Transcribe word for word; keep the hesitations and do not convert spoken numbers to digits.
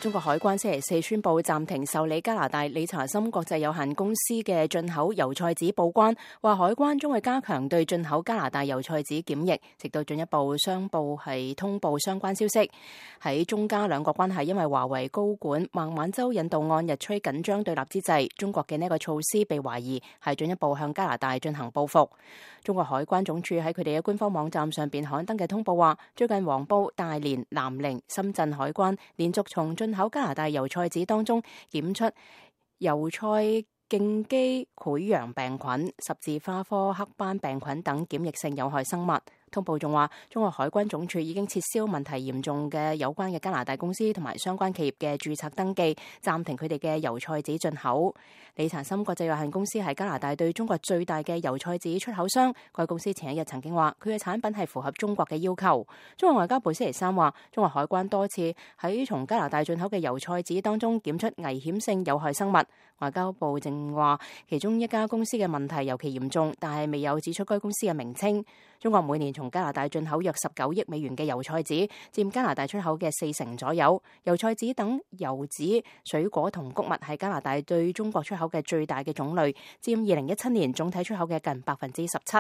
中國海關星期四宣布暫停受理加拿大理查森國際有限公司嘅進口油菜籽報關，話海關將會加強對進口加拿大油菜籽檢疫，直到進一步商報係通報相關消息。喺中加兩國關係因為華為高管孟晚舟引渡案日趨緊張對立之際，中國嘅呢個措施被懷疑係進一步向加拿大進行報復。中國海關總署喺佢哋嘅官方網站上邊刊登嘅通報話，最近黃埔、大連、南寧、深圳海關連續從進口加拿大油菜籽當中檢出油菜莖基潰瘍病菌、十字花科黑斑病菌等檢疫性有害生物。通報仲話，中國海關總署已經撤銷問題嚴重嘅有關嘅加拿大公司同埋相關企業嘅註冊登記，暫停佢哋嘅油菜籽進口。理查森國際有限公司係加拿大對中國最大嘅油菜籽出口商，該公司前一日曾經話佢嘅產品係符合中國嘅要求。中國外交部星期三話，中國海關多次喺從加拿大進口嘅油菜籽當中檢出危險性有害生物。外交部正話，其中一家公司嘅問題尤其嚴重，但係未有指出該公司嘅名稱。中國每年從加拿大進口約十九億美元嘅油菜籽，佔加拿大出口嘅四成左右。油菜籽等油脂、水果同穀物係加拿大對中國出口嘅最大嘅種類，佔二零一七年總體出口嘅近百分之十七。